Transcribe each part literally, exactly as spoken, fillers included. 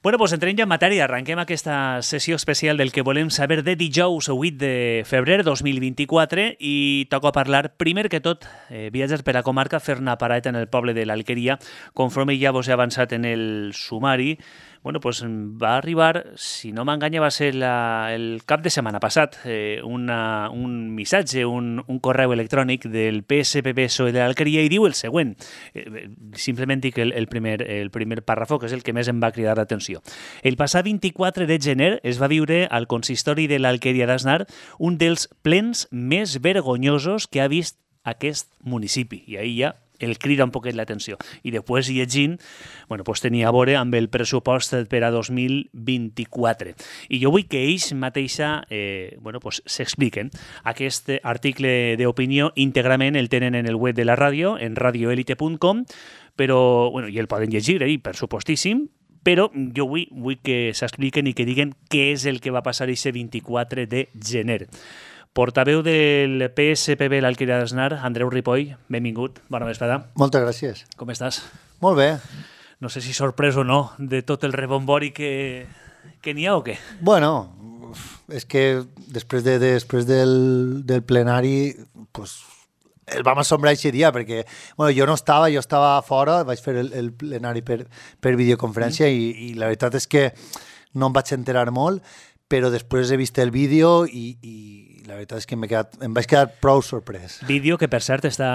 Bueno, doncs entrem ja en matèria. Arrenquem aquesta sessió especial del que volem saber de dijous vuit de febrer dos mil vint-i-quatre i toca parlar, primer que tot, eh, viatges per a comarca, fer una parada en el poble de l'Alqueria. Conforme ja vos he avançat en el sumari, bueno, pues va arribar, si no m'enganya, va ser la, el cap de setmana passat, eh, una, un missatge, un, un correu electrònic del P S P B P S O E de l'Alqueria i diu el següent. Eh, simplement dic el, el, primer, el primer pàrrafo, que és el que més em va cridar l'atenció. El passat vint-i-quatre de gener es va viure al consistori de l'Alqueria d'Asnar un dels plens més vergonyosos que ha vist aquest municipi. I ahir ja el crida un poquet l'atenció. I després, llegint, bueno, pues tenia a veure amb el pressupost per a dos mil vint-i-quatre. I jo vull que ells mateixa eh, bueno, pues s'expliquen. Aquest article d'opinió íntegrament el tenen en el web de la ràdio, en radio elite punt com, però, bueno, i el poden llegir, eh, per supostíssim, però jo vull, vull que s'expliquen i que diguen què és el que va passar aquest vint-i-quatre de gener. Portaveu del P S P B l'Alqueria d'Asnar, Andreu Ripoll, benvingut, bona vesprada. Moltes gràcies. Com estàs? Molt bé. No sé si sorprès o no de tot el rebombori que, que n'hi ha o què? Bueno, és que després, de, després del, del plenari pues, el vam assombrar aquest dia perquè bueno, jo no estava, jo estava fora, vaig fer el, el plenari per, per videoconferència mm. i, i la veritat és que no em vaig enterar molt, però després he vist el vídeo i, i la veritat és que quedat, em vaig quedar prou sorprès. Vídeo que, per cert, està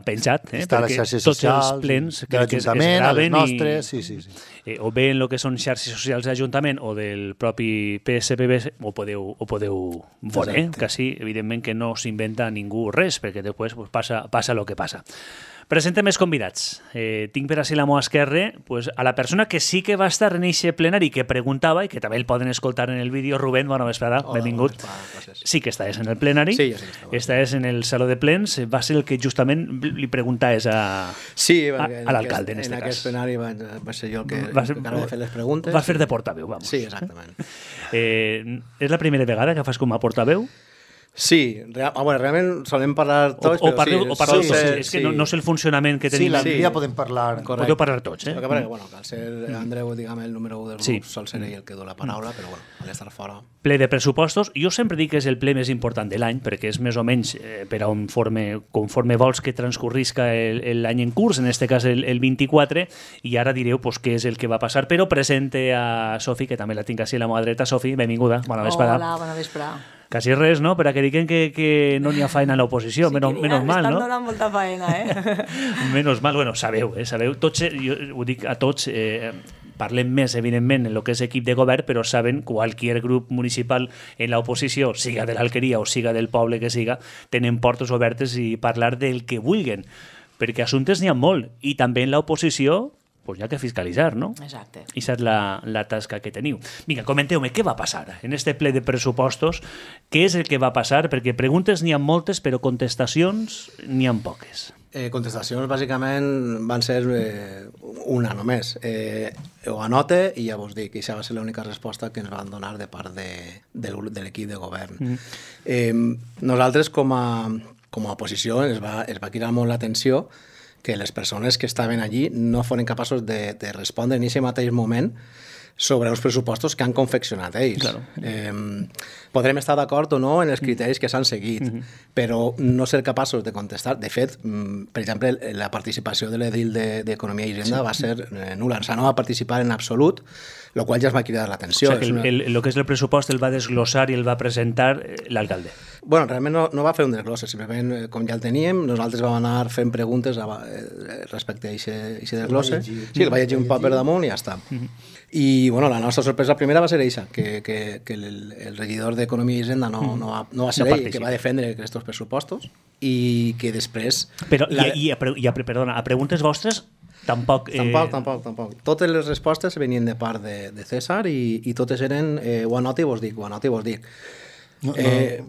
penjat, eh? Està a les xarxes tots socials, els plens de l'Ajuntament, a les nostres, i, sí, sí. sí. Eh, o bé en el que són xarxes socials de l'Ajuntament o del propi P S P B, ho podeu, ho podeu veure, eh? Que sí, evidentment que no s'inventa ningú res, perquè després pues, passa, passa el que passa. Presentem els convidats. Eh, tinc per així la meva esquerra pues, a la persona que sí que va estar en aquest plenari que preguntava i que també el poden escoltar en el vídeo. Rubén, bona vesprada, Hola, benvingut. Bona vesprada, sí que estaves en el plenari. Sí, jo sí que estava. Estaves en el saló de plens. Va ser el que justament li preguntaves a, sí, a, a l'alcalde, en, en aquest cas. En aquest plenari va, va ser jo el que, va ser, que ara va fer les preguntes. Va fer de portaveu, vamos. Sí, exactament. eh, és la primera vegada que fas com a portaveu? Sí, real, ah, bueno, realment solem parlar tots, o, o però parleu, sí. O parleu sí, tots, sí, és que no, no sé el funcionament que tenim. Sí, l'altre sí. dia podem parlar. Correcte. Podeu parlar tots, eh? El que passa que, bueno, que al ser Andreu, diguem, el número un del grup, sí. sol ser ell el que du la paraula, però, bueno, al estar fora... Ple de pressupostos. Jo sempre dic que és el ple més important de l'any, perquè és més o menys eh, per a on forme, conforme vols que transcorrisca l'any en curs, en este cas el, el vint-i-quatre, i ara direu pues, què és el que va passar, però presente a Sofi, que també la tinc així a la meva dreta. Sofi, benvinguda, bona vesprada. Hola, bona vesprada. Quasi res, no? Per a que diguen que, que no n'hi ha feina a l'oposició, sí, menos, menos mal, no? Estan donant molta feina, eh? Menos mal, bueno, sabeu, eh? Sabeu, tots, jo ho dic a tots, eh, parlem més, evidentment, en el que és equip de govern, però saben que qualsevol grup municipal en l'oposició, siga de l'Alqueria o siga del poble que siga, tenen portes obertes i parlar del que vulguen, perquè assumptes n'hi ha molt, i també en l'oposició pues hi ha que fiscalitzar, no? Exacte. I és la, la tasca que teniu. Vinga, comenteu-me, què va passar en este ple de pressupostos? Què és el que va passar? Perquè preguntes n'hi ha moltes, però contestacions n'hi ha poques. Eh, contestacions, bàsicament, van ser eh, una només. Eh, ho anote i ja vos dic, i això va ser l'única resposta que ens van donar de part de, de, de l'equip de govern. Mm. Eh, nosaltres, com a, com a oposició, es va, es va cridar molt l'atenció que les persones que estaven allí no foren capaços de, de respondre en aquest mateix moment sobre els pressupostos que han confeccionat ells. Claro. Eh, podrem estar d'acord o no en els criteris que s'han seguit, mm-hmm. però no ser capaços de contestar. De fet, per exemple, la participació de l'edil d'Economia i Hisenda sí. va ser eh, nul·la. O sigui, no va participar en absolut, el qual ja es va cridar l'atenció. O sigui, que el, el, el que és el pressupost el va desglossar i el va presentar l'alcalde. Bueno, realment no, no va fer un desglosse, simplement, com ja el teníem, nosaltres vam anar fent preguntes a, eh, respecte a aquest desglosse. Sí, el va llegir un paper damunt i ja està. Mm-hmm. I, bueno, la nostra sorpresa primera va ser eixa, que, que, que el, el regidor d'Economia i Hisenda no, no, va, no va ser no ell que va defendre aquests pressupostos i que després... Però, la... i, i, a, i a, perdona, a preguntes vostres tampoc... Eh... Tampoc, tampoc, tampoc. Totes les respostes venien de part de, de César i, i totes eren eh, ho anota i vos dic, ho anota i vos dic. No, no. Eh,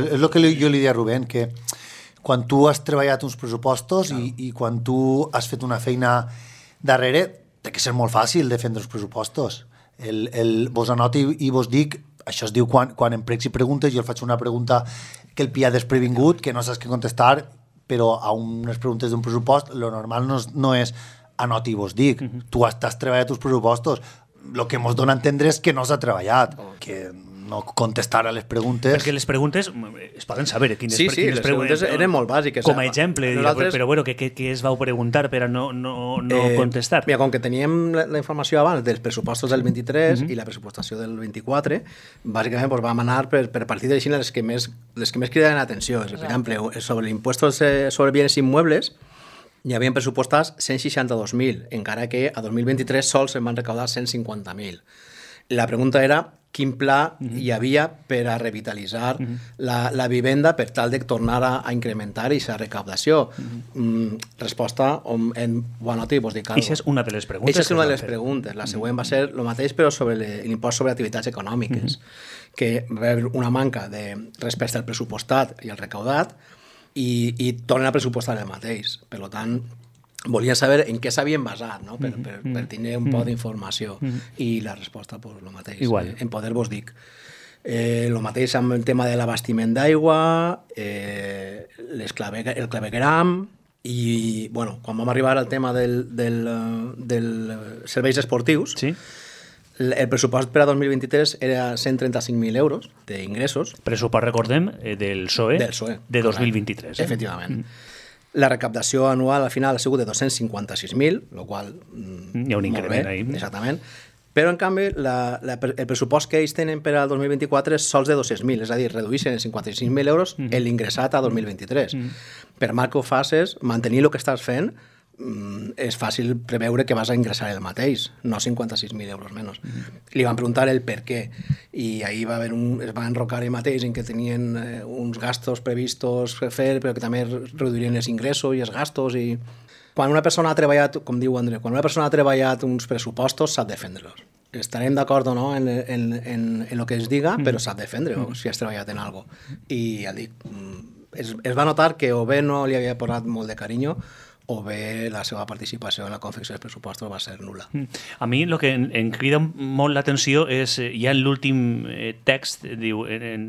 és el que jo li deia a Rubén, que quan tu has treballat uns pressupostos i, i quan tu has fet una feina darrere, té que ser molt fàcil defendre els pressupostos. El, el, vos anota i, i vos dic, això es diu quan, quan em pregs i preguntes, jo el faig una pregunta que el pilla desprevingut, que no saps què contestar, però a unes preguntes d'un pressupost, lo normal no, no és anota i vos dic. Uh-huh. Tu has, has treballat els pressupostos, el que ens dona a entendre és que no s'ha treballat, que no contestar a les preguntes... Perquè les preguntes es poden saber quines, sí, sí, quines les preguntes eren molt bàsiques. Com a exemple, nosaltres... però bueno, què, què es vau preguntar per a no, no, no eh, contestar? Mira, com que teníem la, la informació abans dels pressupostos del vint-i-tres uh-huh. i la pressupostació del vint-i-quatre, bàsicament pues, vam anar per, per partides així les que més, les que més criden l'atenció. Per exemple, sobre l'impost sobre bienes immuebles hi havia pressupostats cent seixanta-dos mil, encara que a dos mil vint-i-tres sols se'n van recaudar cent cinquanta mil. La pregunta era quin pla uh-huh. hi havia per a revitalitzar uh-huh. la, la vivenda per tal de tornar a, a incrementar aquesta recaptació. Uh-huh. Mm, resposta on, en bona nota i vos dic alguna cosa. Això és una de les preguntes. Això és una de les preguntes. La següent va ser el mateix, però sobre l'impost sobre activitats econòmiques, uh-huh. que va haver una manca de respecte al pressupostat i al recaudat i, i tornen a pressupostar el mateix. Per tant, volia saber en què s'havien basat, no? per, per, per tenir un poc d'informació. I la resposta, pues, el mateix. Igual. En poder vos dic. Eh, el mateix amb el tema de l'abastiment d'aigua, eh, clave, el clavegram, i bueno, quan vam arribar al tema del, del, del serveis esportius, sí. el pressupost per a dos mil vint-i-tres era cent trenta-cinc mil euros d'ingressos. Pressupost, recordem, del P S O E, del P S O E de dos mil vint-i-tres. Eh? Efectivament. Mm. La recaptació anual al final ha sigut de dos-cents cinquanta-sis mil, el qual... Mm, hi ha un increment ahí. Exactament. Però, en canvi, la, la, el pressupost que ells tenen per al dos mil vint-i-quatre és sols de dos-cents mil, és a dir, redueixen en cinquanta-cinc mil euros mm. l'ingressat a dos mil vint-i-tres. Mm. Per mal que ho facis, mantenir el que estàs fent, mm, és fàcil preveure que vas a ingressar el mateix, no cinquanta-sis mil euros menys. Mm. Li van preguntar el per què, i ahir va haver un, es va enrocar el mateix en que tenien eh, uns gastos previstos per fer, però que també reduirien els ingressos i els gastos, i... Quan una persona ha treballat, com diu André, quan una persona ha treballat uns pressupostos, sap defendre-los. Estarem d'acord o no en, en, en, en el que es diga, mm. però s'ha de defendre mm. si has treballat en alguna cosa. I ja dic, es, es va notar que o bé no li havia posat molt de carinyo o bé la seva participació en la confecció dels pressupostos va ser nul·la. A mi el que em, em crida molt l'atenció és, ja en l'últim text, diu, en, en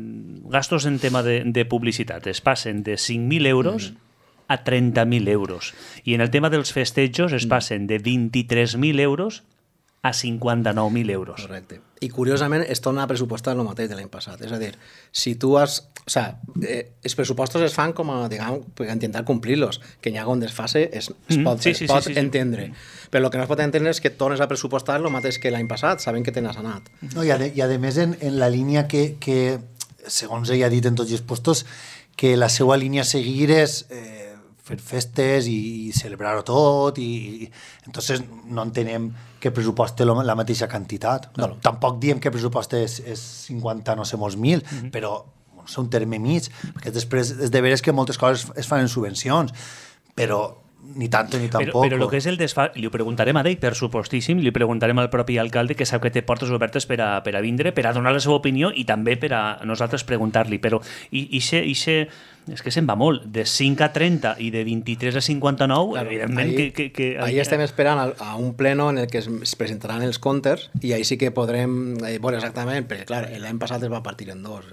gastos en tema de, de publicitat es passen de cinc mil euros mm. a trenta mil euros. I en el tema dels festejos es passen de vint-i-tres mil euros a cinquanta-nou mil euros. Correcte. I curiosament es torna a pressupostar el mateix de l'any passat. És a dir, si tu has... O sea, eh, els pressupostos es fan com a, diguem, per intentar complir-los. Que n'hi ha un desfase es, es pot, sí, sí, es pot sí, sí, entendre. Sí. Però el que no es pot entendre és que tornes a pressupostar el mateix que l'any passat, sabent que te n'has anat. No, i, a, i a més, en, en la línia que, que, segons ella ha dit en tots els postos, que la seva línia a seguir és... Eh, fer festes i celebrar-ho tot i, i entonces no entenem que pressuposte la mateixa quantitat. No, no. Tampoc diem que pressuposte és, és cinquanta no sé molts mil, mm-hmm. però bueno, és un terme mig, perquè després és de veres que moltes coses es fan en subvencions, però ni tanto ni tampoc. Però, però el que és el desfà... Li ho preguntarem a ell, per supostíssim, li preguntarem al propi alcalde, que sap que té portes obertes per a, per a vindre, per a donar la seva opinió i també per a nosaltres preguntar-li. Però i, i se, i se, és que se'n va molt. De cinc a trenta i de vint-i-tres a cinquanta-nou, claro, evidentment ahí, que... que, que ahí estem esperant a, a un pleno en el que es, es presentaran els comptes i ahí sí que podrem eh, veure exactament, perquè clar, l'any passat es va partir en dos.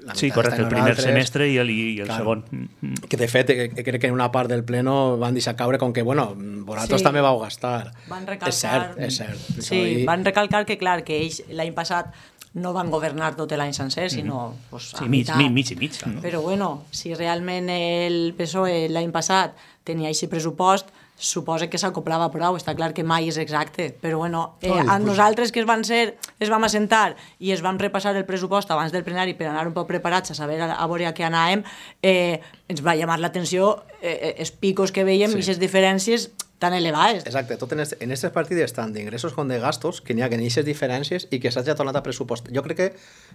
La sí, correcte, el primer altres, semestre i el, i el claro, segon. Mm-hmm. Que de fet, que, crec que en una part del pleno van deixar caure com que, bueno, vosaltres sí. també vau gastar. Van recalcar... És cert, és cert. Sí, i... van recalcar que, clar, que ells l'any passat no van governar tot l'any sencer, sinó mm-hmm. pues, a sí, mig, mitad. mig, mig i mig. Claro. Però bueno, si realment el P S O E l'any passat tenia aquest pressupost, suposa que s'acoplava prou, està clar que mai és exacte, però bueno, eh, Ai, a pues... nosaltres que es van ser, es vam assentar i es vam repassar el pressupost abans del plenari per anar un poc preparats a saber a, a veure a què anàvem, eh, ens va llamar l'atenció eh, els picos que veiem sí. i les diferències tan elevades. Exacte, tot en aquestes este partides tant d'ingressos com de gastos que n'hi ha que n'hi ha diferències i que s'hagi tornat a pressupost. Jo crec que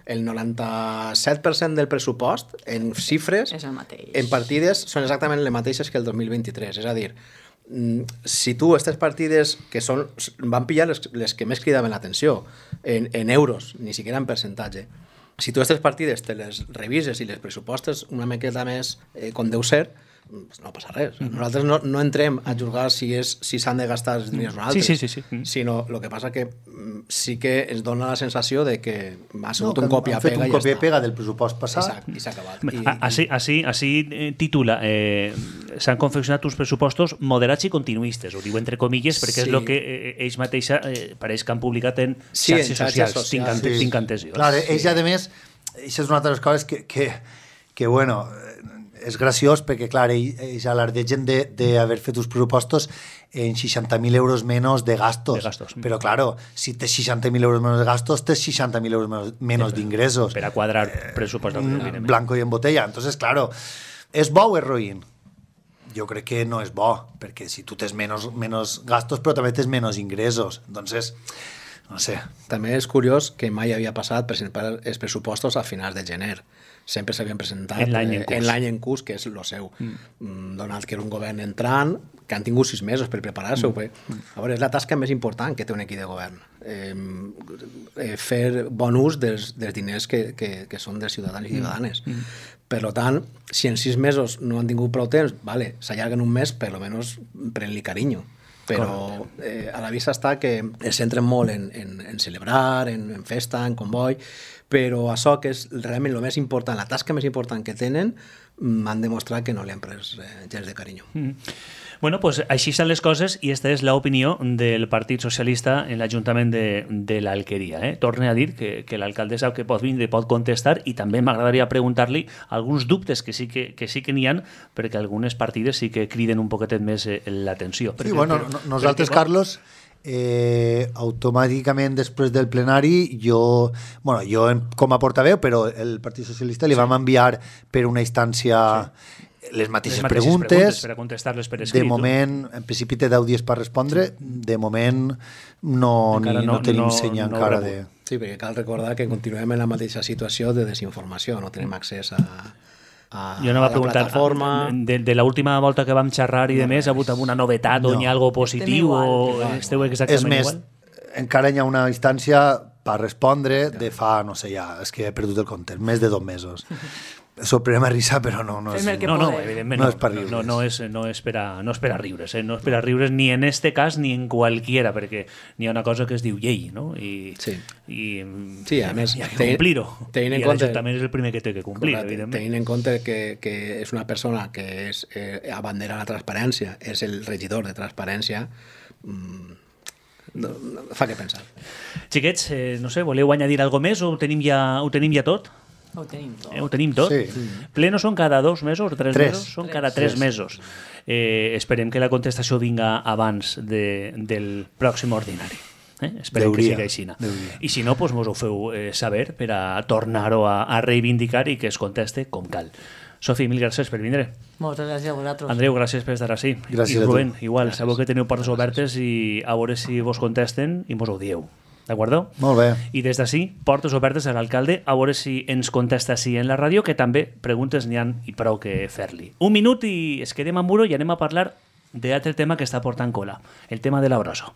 el noranta-set per cent del pressupost en xifres, és el mateix. En partides, són exactament les mateixes que el dos mil vint-i-tres. És a dir, si tu aquestes partides que són, van pillar les, les que més cridaven l'atenció en, en euros, ni siquiera en percentatge, si tu aquestes partides te les revises i les pressupostes una miqueta més eh, com deu ser, no passa res. Nosaltres no, no entrem a juzgar si és si s'han de gastar els diners o no altres, sí, sí, sí, sí. sinó el que passa que sí que ens dona la sensació de que ha sigut no, un copia-pega han fet un i ja copia-pega està. del pressupost passat. Exacte, i s'ha acabat. I, Així, així, així eh, titula eh, s'han confeccionat uns pressupostos moderats i continuistes, ho diu entre comilles perquè Sí. és el que eh, ells mateixa eh, pareix que han publicat en Sí, en xarxes xarxes socials, tinc, socials. ante, Sí. tinc entesió. Clar, ells, a més, això és una altra de les coses que, que, que bueno, és graciós perquè, clar, ells, ells alardegen d'haver fet uns pressupostos en seixanta mil euros menys de gastos. De gastos. Però, claro, si tens seixanta mil euros menys de gastos, tens seixanta mil euros menos, menos d'ingressos. Per a quadrar pressupost. Eh, blanco y en botella. Entonces, claro, ¿es bo o és roïn? Jo crec que no és bo, perquè si tu tens menys, menys gastos, però també tens menys ingressos. Entonces, no sé. També és curiós que mai havia passat presentar els pressupostos a finals de gener. Sempre s'havien presentat En l'any en eh, curs. en l'any en curs, que és el seu. Mm. Donat que era un govern entrant, que han tingut sis mesos per preparar-se. Mm. A veure, és la tasca més important que té un equip de govern. Eh, eh, fer bon ús dels, dels diners que, que, que són dels ciutadans i ciutadanes. Mm. Per tant, si en sis mesos no han tingut prou temps, vale, s'allarguen un mes, per almenys pren-li carinyo. Però eh, a la vista està que es centren molt en, en, en celebrar, en, en festa, en comboi, però això que és realment el més important, la tasca més important que tenen, m'han demostrat que no li han pres eh, gens de carinyo. Mm. Bueno, pues així estan les coses i esta és l'opinió del Partit Socialista en l'Ajuntament de, de l'Alqueria. Eh? Torne a dir que, que l'alcaldessa que pot vindre pot contestar i també m'agradaria preguntar-li alguns dubtes que sí que, que, sí que n'hi ha perquè algunes partides sí que criden un poquetet més eh, l'atenció. Sí, bueno, no, nosaltres, perquè, Carlos, eh, automàticament després del plenari jo, bueno, jo com a portaveu, però el Partit Socialista li sí. vam enviar per una instància sí. les mateixes, les mateixes preguntes, preguntes per a contestar-les per escrit. De moment, en principi té deu dies per respondre, sí. de moment no, ni, no, no tenim no, senya no encara de... Sí, perquè cal recordar que continuem en la mateixa situació de desinformació, no tenim accés a... Jo no va preguntar plataforma... de, de l'última volta que vam xerrar i no, de més, ha hagut una novetat no. o n'hi ha algo positiu igual, o igual, esteu exactament és més, igual? Encara hi ha una instància per respondre de fa, no sé ja, és que he perdut el compte, més de dos mesos. Sorprèn a risa, però no, no és... No, no, evidentment no, no, és per riures. No, no, és, no, és per a, no és per a riures, eh? No és per a riures ni en este cas ni en qualquiera, perquè n'hi ha una cosa que es diu llei, no? I, sí. i sí, a més, hi ha que complir-ho. I compte, l'Ajuntament és el primer que té que complir, correcte, evidentment. Tenint en compte que, que és una persona que és eh, abandera la transparència, és el regidor de transparència, mmm, no, no, fa que pensar. Xiquets, eh, no sé, voleu añadir algo més o ho tenim ja, ho tenim ja tot? Ho tenim tot. Eh, ho tenim tot? Sí. Plenos són cada dos mesos o tres, tres. mesos? Són tres. cada tres, tres mesos. Eh, esperem que la contestació vinga abans de, del pròxim ordinari. Eh? Esperem Deuria. que sigui així. I si no, doncs mos ho feu eh, saber per a tornar-ho a, a reivindicar i que es conteste com cal. Sofi, mil gràcies per vindre. Moltes gràcies a vosaltres. Andreu, gràcies per estar així. Gràcies I Rubén, a tu. igual, Gràcies. sabeu que teniu portes obertes i a veure si vos contesten i mos ho dieu. D'acord? Molt bé. I des d'ací, portes obertes a l'alcalde a veure si ens contesta així en la ràdio, que també preguntes n'hi ha i prou que fer-li. Un minut i es quedem amb Muro i anem a parlar d'altre tema que està portant cola, el tema de la brossa.